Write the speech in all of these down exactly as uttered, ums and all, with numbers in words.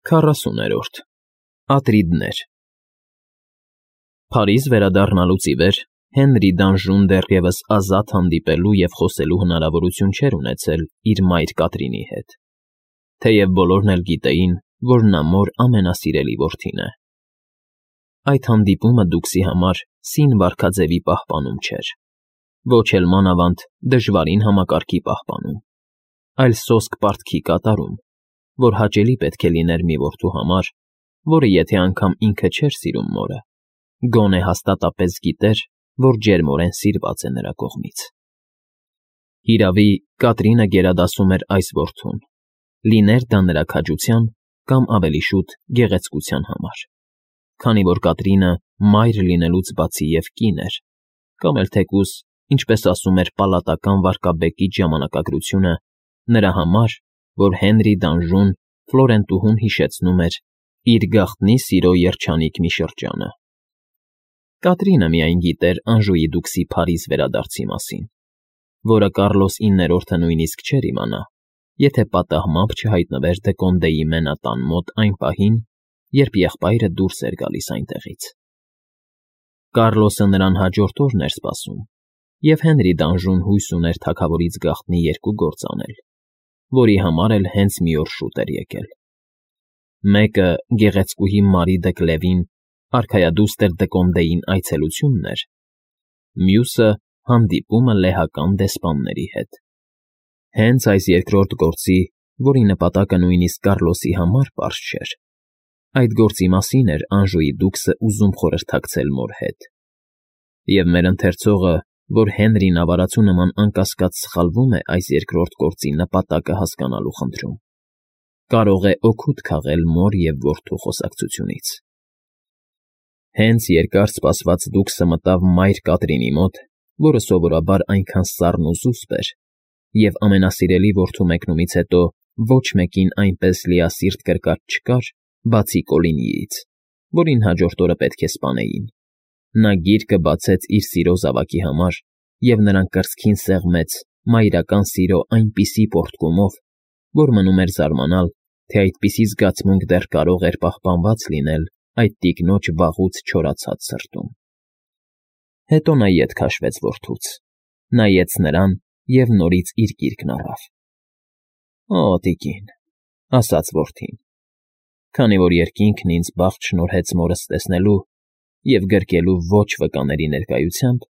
Քառասուներորդ Ատրիդներ Փարիզ վերադառնալուց ի վեր Հենրի Դանժուն դեռևս ազատ հանդիպելու և խոսելու հնարավորություն չէր ունեցել իր մայր Կատրինի հետ, թեև բոլորն էլ գիտեին, որ նա մոր ամենասիրելի որդին է. այդ հանդիպումը դուքսի համար սին վարքաձևի պահպանում չէր, ոչ էլ մանավանդ դժվարին համակարգի պահպանում, այլ սոսկ պարտքի կատարում, որ հաճելի պետք է լիներ մի որդու համար, որը եթե անգամ ինքը չէր սիրում մորը, գոնե հաստատապես գիտեր, որ ջերմորեն սիրված է նրա կողմից։ Հիրավի, Կատրինը գերադասում էր այս որդուն, լիներ դա նրա քաջության կամ ավելի շուտ գեղեցկության համար, քանի որ Կատրինը մայր լինելուց բացի և կին էր, կամ էլ թեկուզ, ինչպես ասում էր պալատական վարքաբեկիչ ժամանակագրությունը, նրա համար, որ Հենրի Դանժուն Ֆլորենտուհուն հիշեցնում էր իր գաղտնի սիրո երջանիկ մի շրջանը։ Կատրինը միայն գիտեր Անժուի դուքսի Փարիզ վերադարձի մասին, որը Կարլոս իններորդը նույնիսկ չէր իմանա, եթե պատահմամբ չհայտնվեր Դեկոնդեի մենատան մոտ այն պահին, երբ եղբայրը դուրս էր գալիս այնտեղից։ Կարլոսը նրան հաջորդ օրն էր սպասում, և Հենրի Դանժուն հույս ուներ թագավորից գաղտնի երկու գործ անել, որի համար էլ հենց մի օր շուտ էր եկել. մեկը գեղեցկուհի Մարի դը Կլևին արքայադուստր Դեկոնդեին այցելությունն էր, մյուսը հանդիպումը լեհական դեսպանների հետ։ Հենց այս երկրորդ գործի, որի նպատակը նույնիսկ Կարլոսի համար պարզ չէր, այդ գործի մասին էր Անժուի դուքսը ուզում խորհրդակցել մոր հետ։ Եվ մեր ընթերցողը, որ Հենրին ավարացու նման անկասկած սխալվում է այս երկրորդ գործի նպատակը հասկանալու խնդրում, կարող է օգուտ քաղել մոր և որդու խոսակցությունից։ Հենց երկար սպասված դուքսը մտավ մայր Կատրինի մոտ, որը սովորաբար այնքան սառն ու զուսպ էր, և ամենասիրելի որդու մեկնումից հետո ոչ մեկին այնպես լիասիրտ կրկած չկար, բացի Կոլինիից, որին հաջորդ օրը պետք է սպանեին։ Նա գիրկը բացեց իր սիրո զավակի համար և նրան կրծքին սեղմեց մայրական սիրո այնպիսի պոռթկումով, որ մնում էր զարմանալ, թե այդպիսի զգացմունք դեռ կարող էր պահպանված լինել այդ տիկնոջ վաղուց չորացած սրտում։ Հետո նա ետ քաշվեց որդուց, նայեց նրան և նորից իր գիրկն առավ։ Օ, տիկին, ասաց որդին, քանի որ երկինքն ինձ բախտ շնորհեց մորս տեսնելու և գրկելու ոչ վկաների ներկայությամբ,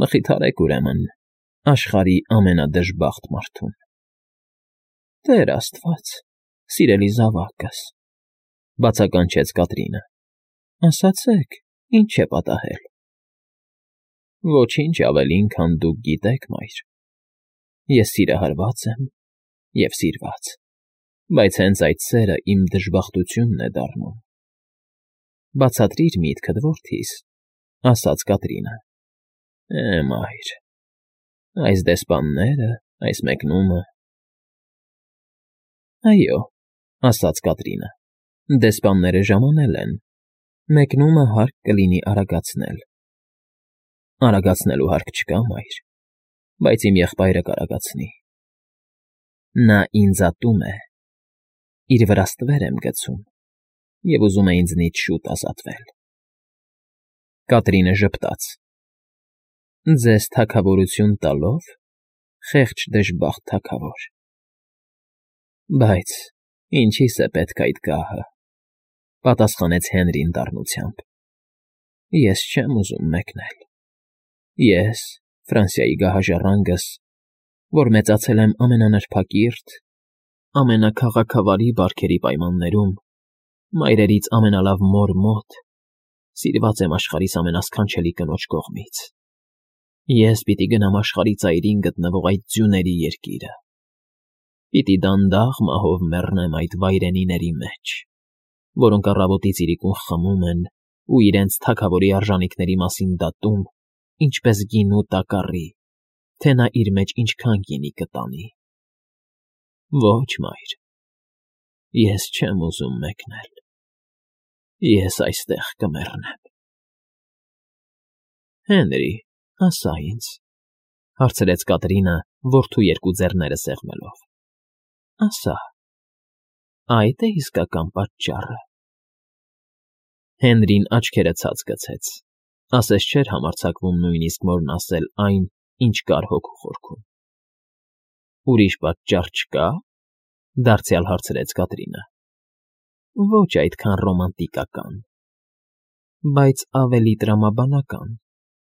մխիթարեք ուրեմն աշխարհի ամենադժբախտ մարդուն։ Տեր աստված, սիրելի զավակս, բացականչեց Կատրինը, ասացեք, ինչ է պատահել։ Ոչինչ ավելին, քան դուք գիտեք, մայր, ես սիրահարված եմ և սիրված, բայց հենց այդ սերը իմ դժբախտությունն է դառնում։ Բացատրիր միտքդ, որդիս, ասաց Կատրինը։ Է, մայր, այս դեսպանները, այս մեկնումը… Այո, ասաց Կատրինը, դեսպանները ժամանել են, մեկնումը հարկ կլինի արագացնել։ Արագացնելու հարկ չկա, մայր, բայց իմ եղբայրը կարագացնի։ Նա ինձ ատում է, իր վրա ստվեր եմ գցում և ուզում է ինձնից շուտ ազատվել։ Կատրինը ժպտաց. Ձեզ թագավորություն տալո՞վ, խեղճ դժբախտ թագավոր։ Բայց ինչի՞ս է պետք այդ գահը, պատասխանեց Հենրին դառնությամբ։ Ես չեմ ուզում մեկնել։ Ես, Ֆրանսիայի գահաժառանգս, որ մեծացել եմ ամենանրբակիրթ, ամենաքաղաքավարի բարքերի պայմաններում, մայրերից ամենալավ մոր մոտ, սիրված եմ աշխարհիս ամենասքանչելի կնոջ կողմից։ Ես պիտի գնամ աշխարհի ծայրին գտնվող այդ ձյուների երկիրը, պիտի դանդաղ մահով մեռնեմ այդ վայրենիների մեջ, որոնք առավոտից իրիկուն խմում են ու իրենց թագավորի արժանիքների մասին դատում, ինչպես գինու տակառի, թե նա իր մեջ ինչքան գինի կտանի։ Ոչ, մայր, ես չեմ ուզում մեկնել, ես այստեղ կմեռնեմ։ Հենրի, ասա ինձ, հարցրեց Կատրինը, որդու երկու ձեռները սեղմելով, ասա, Այդ է իսկական պատճառը։ Հենրին աչքերը ցած գցեց, ասես չէր համարձակվում նույնիսկ մորն ասել այն, ինչ կար հոգու խորքում։ Ուրիշ պատճառ չկա՞, դարձյալ հարցրեց Կատրինը։ Ոչ այդքան ռոմանտիկական, բայց ավելի տրամաբանական,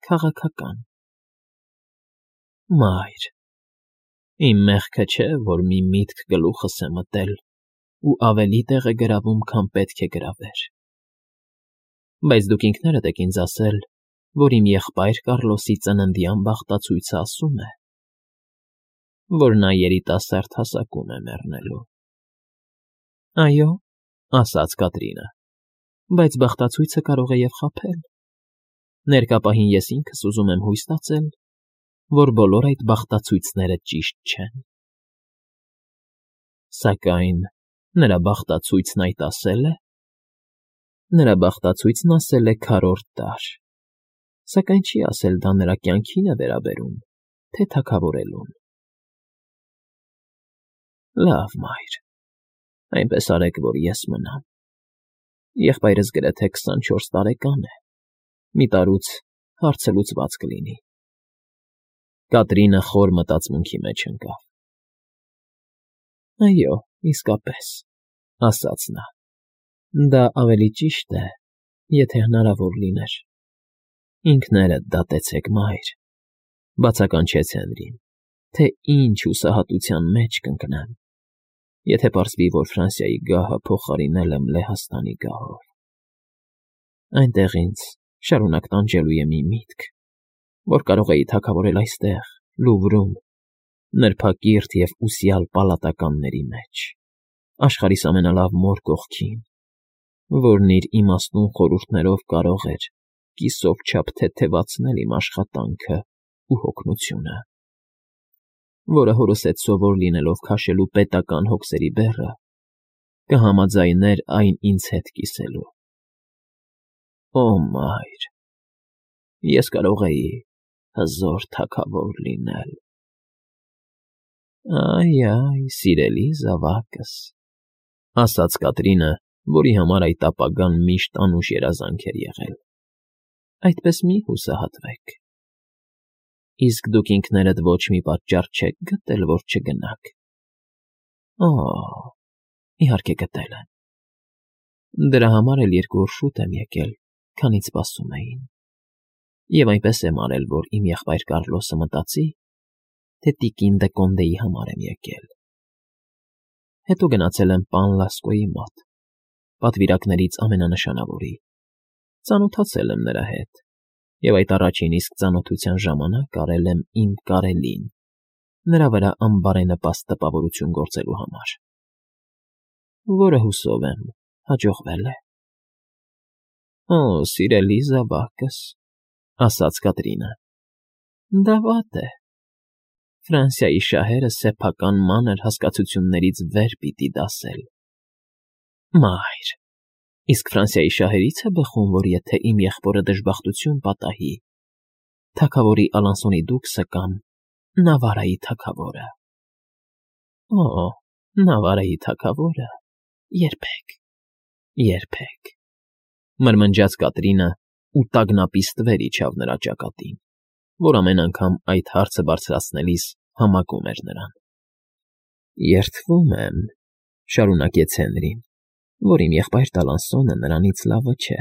քաղաքական։ Մայր, իմ մեղքը չէ, որ մի միտք գլուխս է մտել ու ավելի տեղ է գրավում, քան պետք է գրավեր։ Բայց դուք ինքներդ եք ինձ ասել, որ իմ եղբայր Կառլոսի ծննդյան բախտացույցը ասում է, որ նա երիտասարդ հասակում է մեռնելու։ Այո, ասաց Կատրինը, բայց բախտացույցը կարող է և խաբել։ Ներկա պահին ես ինքս ուզում եմ հույս տածել, որ բոլոր այդ բախտացույցները ճիշտ չեն։ Սակայն նրա բախտացույցն այդ ասել է։ Նրա բախտացույցն ասել է քառորդ դար, սակայն չի ասել դա նրա կյանքին է վերաբերում, թե թագավորելուն։ Լավ, մայր, այնպես արեք, որ ես մնամ։ Եղբայրս գրեթե քսանչորս տարեկան է, մի տարուց հարցը լուծված կլինի։ Կատրինը խոր մտածմունքի մեջ ընկավ։ Այո, իսկապես, ասաց նա, դա ավելի ճիշտ է, եթե հնարավոր լիներ։ Ինքներդ դատեցեք, մայր, բացականչեց Հենրին, թե ինչ հուսահատության մեջ կընկնեմ, եթե պարզվի, որ Ֆրանսիայի գահը փոխարինել եմ Լեհաստանի գահով։ Այնտեղ ինձ շարունակ տանջելու է մի միտք, որ կարող էի թագավորել այստեղ, Լուվրում, նրբակիրթ և ուսյալ պալատականների մեջ, աշխարհիս ամենալավ մոր կողքին, որն իր իմաստուն խորհուրդներով կարող էր կիսով չափ թեթևացնել իմ աշխատանքը ու հոգնությունը, որը հորս հետ սովոր լինելով քաշելու պետական հոգսերի բեռը, կհամաձայներ այն ինձ հետ կիսելու։ Օ, մայր, ես կարող էի հզոր թագավոր լինել։ Այ, այ, սիրելի զավակս, ասաց Կատրինը, որի համար այդ ապագան միշտ անուշ երազանք էր եղել։ Այդպես մի հուսահատվեք։ Իսկ դուք ինքներդ ոչ մի պատճառ չեք գտել, որ չգնաք։ Օ, իհարկե գտել եմ։ Դրա համար էլ երկու օր շուտ եմ եկել, քանից սպասում էին։ Եվ այնպես եմ արել, որ իմ եղբայր Կառլոսը մտածի, թե տիկին դե Կոնդեի համար եմ եկել։ Հետո գնացել եմ պան Լասկոյի մոտ, պատվիրակներից ամենանշանավորի, ծանոթացել եմ նրա հետ, և այդ առաջին իսկ ծանոթության ժամանակ արել եմ իմ կարելին, նրա վրա անբարենպաստ տպավորություն գործելու համար, որը, հուսով եմ, հաջողվել է։ Օ, սիրելի զավակս, ասաց Կատրինը, դա վատ է։ Ֆրանսիայի շահերը սեփական մանր հասկացություններից վեր պիտի դասել։ Մայր, իսկ Ֆրանսիայի շահերից է բխում, որ եթե իմ եղբորը դժբախտություն պատահի, թագավորի Ալանսոնի դուքսը կամ Նավարայի թագավորը։ Օ, Նավարայի թագավորը, երբեք, երբեք, մրմնջաց Կատրինը ու տագնապի ստվեր իջավ նրա ճակատին, որ ամեն անգամ այդ հարցը բարձրացնելիս համակում էր նրան։ Երդվում եմ, շարունակեց Հենրին, որ իմ եղբայր Տալանսոնը նրանից լավը չէ,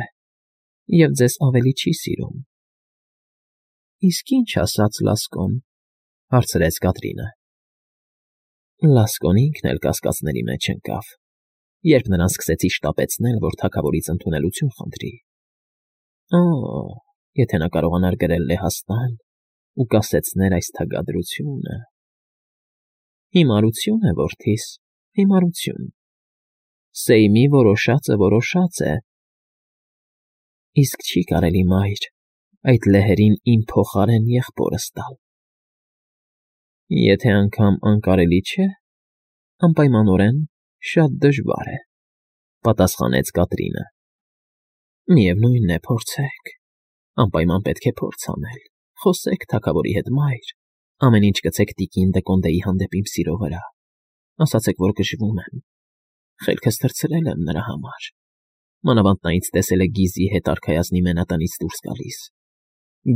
և ձեզ ավելի չի սիրում։ Իսկ ինչ ասաց Լասկոն, հարցրեց Կատրինը։ Լասկոն ինքն էլ կասկածների մեջ ընկավ, երբ նրան սկսեցի շտապեցնել, որ թագավորից ընդունելություն խնդրի։ Օ, եթե նա կարողանար գրել Լեհաստան ու կասեցներ այս թագադրությունը… Հիմարություն է, որդիս, հիմարություն։ Սեյմի որոշածը որոշած է։ Իսկ չի կարելի, մայր, այդ լեհերին իմ փոխարեն եղբորս տալ։ Եթե անգամ անկարելի չէ, անպայմանորեն շատ դժվար է, պատասխանեց Կատրինը։ Միևնույն է, փորձեք, անպայման պետք է փորձ անել, խոսեք թագավորի հետ, մայր, ամեն ինչ գցեք տիկին դե Կոնդեի հանդեպ իմ սիրո վրա, ասացեք, որ գժվում եմ, խելքս թռցրել եմ նրա համար։ Մանավանդ նա ինձ տեսել է Գիզի հետ արքայազնի մենատնից դուրս գալիս։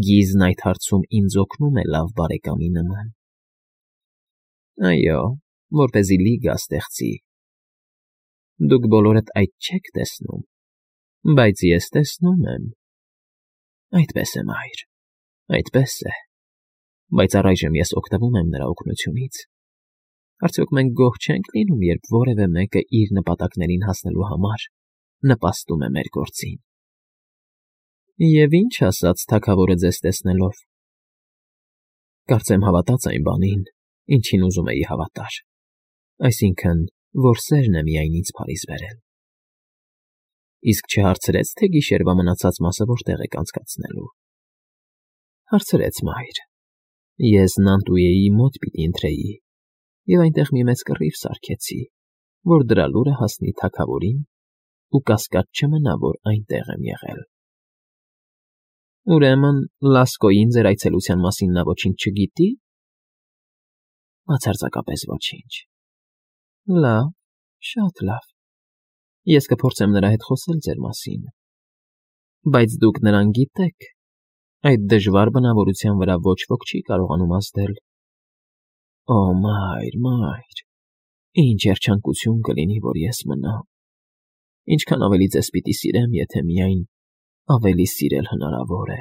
Գիզն այդ հարցում ինձ օգնում է լավ բարեկամի նման։ Այո, որպեսզի լիգա ստեղծի։ Դուք բոլորդ այդ չեք տեսնում, բայց ես տեսնում եմ։ Այդպես է, մայր, այդպես է, բայց առայժմ ես օգտվում եմ նրա օգնությունից։ Արդյոք մենք գոհ չենք լինում, երբ որևէ մեկը իր նպատակներին հասնելու համար նպաստում է մեր գործին։ Եվ ինչ ասաց թագավորը ձեզ տեսնելով։ Կարծեմ հավատաց այն բանին, ինչին ուզում էի հավատար, այսինքն, որ սերն է միայն ինձ փարիզ բերել։ Իսկ չհարցրեց, թե գիշերվա մնացած մասը որտեղ եք անցկացնելու։ Հարցրեց, մայր։ Ես Նանտուեի մոտ պիտի ընթրեի, և այնտեղ մի մեծ կռիվ սարքեցի, որ դրա լուրը հասնի թագավորին, ու կասկած չմնա, որ այնտեղ եմ եղել։ Ուրեմն Լասկոյին ձեր այցելության մասին նա ոչինչ չգիտի։ Բացարձակապես ոչինչ։ Լավ, շատ լավ։ Ես կփորձեմ նրա հետ խոսել ձեր մասին։ Բայց դուք նրան գիտեք, այդ դժվար բնավորության վրա ոչ ոք չի կարողանում ազդել։ Օ, մայր, մայր, ինչ երջանկություն կլինի, որ ես մնամ։ Ինչքան ավելի ձեզ պիտի սիրեմ, եթե միայն ավելի սիրել հնարավոր է։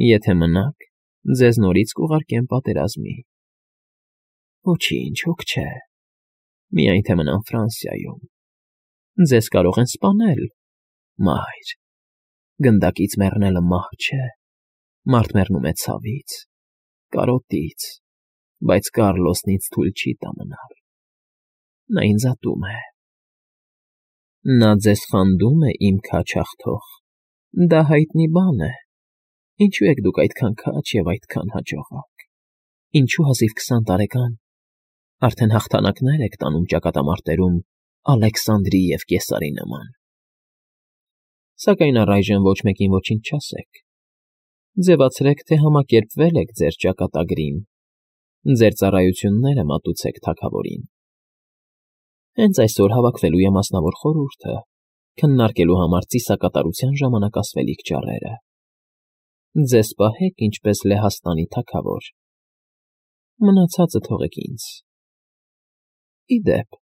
Եթե մնաք, ձեզ նորից կուղարկեմ պատերազմի։ Ոչինչ, հոգ չէ։ Միայն թե մնամ Ֆրանսիայում։ Ձեզ կարող են սպանել, մայր։ Գնդակից մեռնելը մահ չէ։ Մարդ մեռնում է ցավից, կարոտից, բայց Կառլոսն ինձ թույլ չի տա մնալ։ Նա ինձ ատում է։ Նա ձեզ խանդում է, իմ քաջ աղթող։ Դա հայտնի բան է։ Ինչու եք դուք այդքան քաջ և այդքան հաջողակ։ Ինչու հազիվ քսան տարեկան արդեն հաղթանակներ եք տանում ճակատամարտերում Ալեքսանդրի և Կեսարի նման։ Սակայն առայժմ ոչ մեկին ոչինչ չասեք։ Ձևացրեք, թե համակերպվել եք ձեր ճակատագրին, ձեր ծառայությունները մատուցեք թագավորին։ Հենց այսօր հավաքվելու է մասնավոր խորհուրդը, քննարկելու համար ծիսակատարության ժամանակ ասվելիք ճառերը։ Ձեզ պահեք ինչպես Լեհաստանի թագավոր։ Մնացածը թողեք ինձ։ Ի դեպ,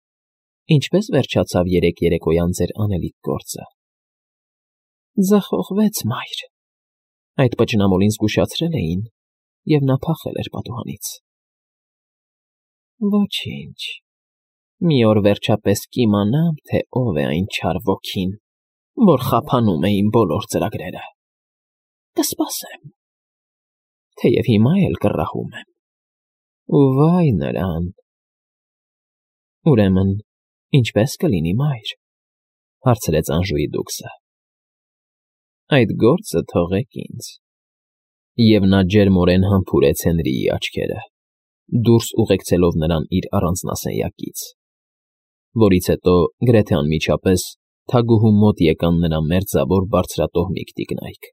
ինչպես վերջացավ երեկ երեկոյան ձեր անելիք գործը։ Ձախողվեց, մայր։ Այդ պճնամոլին զգուշացրել էին, և նա փախել էր պատուհանից։ Ոչինչ։ Մի օր վերջապես կիմանամ, թե ով է այն չար ոգին, որ խափանում է իմ բոլոր ծրագրերը։ Կսպասեմ, թեև հիմա էլ կռահում եմ։ Ու վայ նրան։ Ուրեմն, ինչպե՞ս կլինի, մայր, հարցրեց Անժուի դուքսը։ Այդ գործը թողեք ինձ։ Եվ նա ջերմորեն համբուրեց Հենրիի աչքերը, դուրս ուղեկցելով նրան իր առանձնասենյակից, որից հետո գրեթե անմիջապես թագուհու մոտ եկան նրա մերձավոր բարձրատոհմիկ տիկնայք։